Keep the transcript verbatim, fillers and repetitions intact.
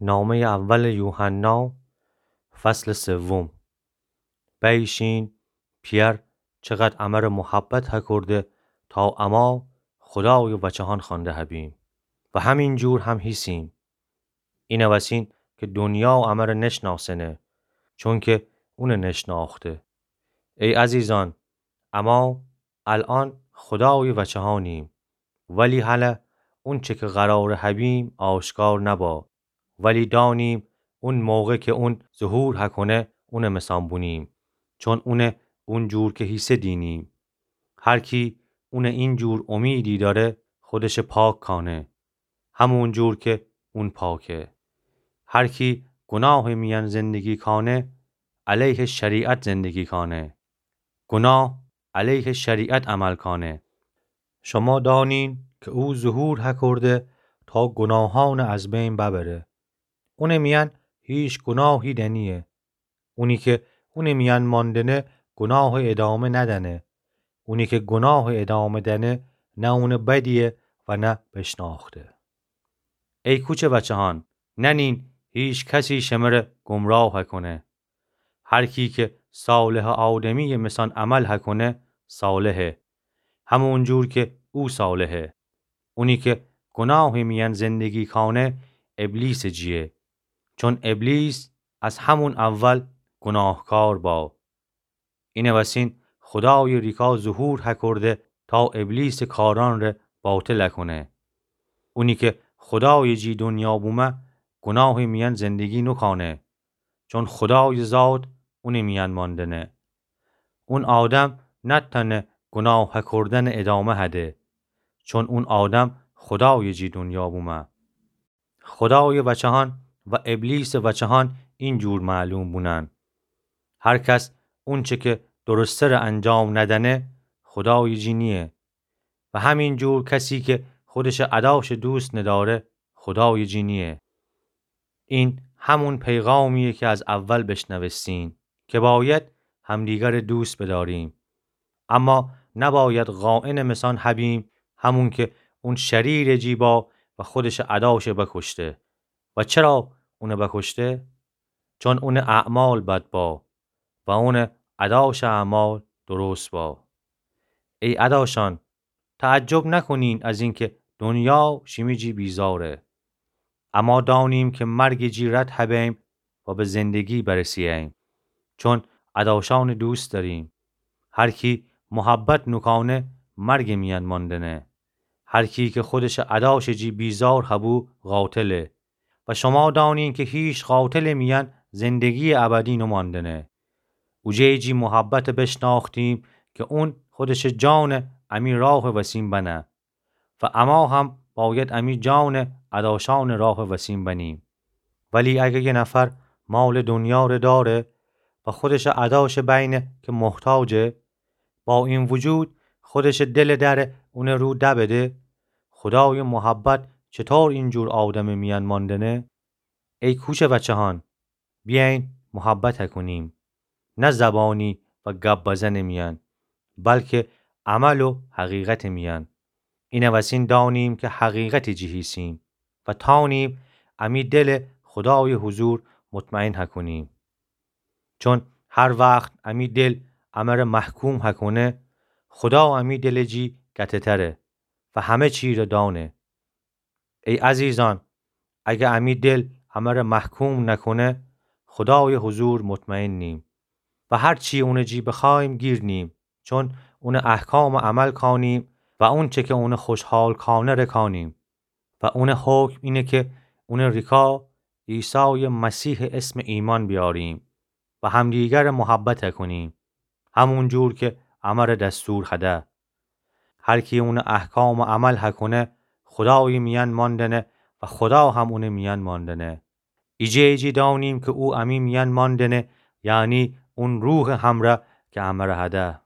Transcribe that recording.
نامهٔ اول یوحنا، فصل سوم. بیشین، پئر چقدر امر محبت هکرده تا اما خودای وچهان خوانده هبیم و همین جور هم هیسیم. اینوسین که دنیا امر نشناسنه، چونکه اون نشناخته. ای عزیزان، اما الان خودای وچهانیم، ولی هله اونچه که قرار هبیم آشکار نبا. ولی دانیم اون موقع که اون ظهور هکنه، اون مثان بونیم، چون اون اون جور که هیسه دینیم. هر کی اون این جور امیدی داره، خودش پاک کانه، همون جور که اون پاکه. هر کی گناه میان زندگی کانه، علیه شریعت زندگی کانه. گناه علیه شریعت عمل کانه. شما دانین که او ظهور هکرده تا گناهان از بین ببره. اون میان هیچ گناهی دنیه. اونی که اون میان ماندنه، گناه ادامه ندنه. اونی که گناه ادامه دنه، نه اون بدیه و نه بشناخته. ای کوچه وچهان، ننین هیچ کسی شمره گمراه هکنه. هر کی که صالح آدمی مثان عمل هکنه، صالحه، همون جور که او صالحه. اونی که گناه میان زندگی کانه، ابلیس جیه، چون ابلیس از همون اول گناهکار با. اینوسین خودای ریکا ظهور هکرده تا ابلیس کاران ره باطل هکنه. اونی که خودای جی دنیا بومه، گناه میان زندگی نکانه، چون خودای ذات اون میان ماندنه. اون آدم نتنه گناه هکردن ادامه هده، چون اون آدم خودای جی دنیا بومه. خودای وچهان و ابلیس وچهان این جور معلوم بونن. هر کس اونچه که درسته ره انجام ندنه، خودای جی نیه. و همین جور کسی که خودش اداش دوست نداره، خودای جی نیه. این همون پیغامیه که از اول بشنوستین، که باید همدیگر دوست بداریم. اما نباید خائن مثان هبیم، همون که اون شریر جی با و خودش اداش بکشته. و چرا اون بکشته؟ چون اون اعمال بد با و اون اداش اعمال درست با. ای اداشان، تعجب نکنین از اینکه دنیا شیمی جی بیزاره. اما دانیم که مرگ جی رد هبیم و به زندگی برسییم، چون اداشان دوست داریم. هر کی محبت نکانه، مرگ میان ماندنه. هر کی که خودش اداش جی بیزار هبو، قاتله. و شما دانین که هیچ قاتل میان زندگی ابدی نماندنه. اوجه جی محبت بشناختیم که اون خودش جان امی راه وسیم بنه. و اما هم باید امی جان اداشان راه وسیم بنیم. ولی اگه یه نفر مال دنیا ره داره و خودش اداش بینه که محتاجه، با این وجود خودش دل در اون رو دبده، خدای محبت چطور این جور آدم میان ماندنه؟ ای کوچه وچهان، بیاین محبت هکنیم، نه زبانی و گب بزن میان، بلکه عمل و حقیقت میان. اینوسین دانیم که حقیقت جی هیسیم و تانیم امی دل خدای حضور مطمئن هکنیم. چون هر وقت امی دل امر محکوم هکنه، خدا امی دل جی گته‌تره و همه چی ره دانه. ای عزیزان، اگه امی دل امر محکوم نکنه، خدای حضور مطمئن نیم و هر چی اون جی بخوایم گیر نیم، چون اون احکام عمل کانیم و اون چه که اون خوشحال کانه ره کانیم. و اون حکم اینه که اون ریکا عیسی مسیح اسم ایمان بیاریم و همدیگر محبت کنیم، همون جور که امر دستور هده. هر کی اون احکام عمل هکنه، خدای میان ماندنه و خدا هم اون میان ماندنه. ایجه ایجی دانیم که او امی میان ماندنه، یعنی اون روح همره که امر هده.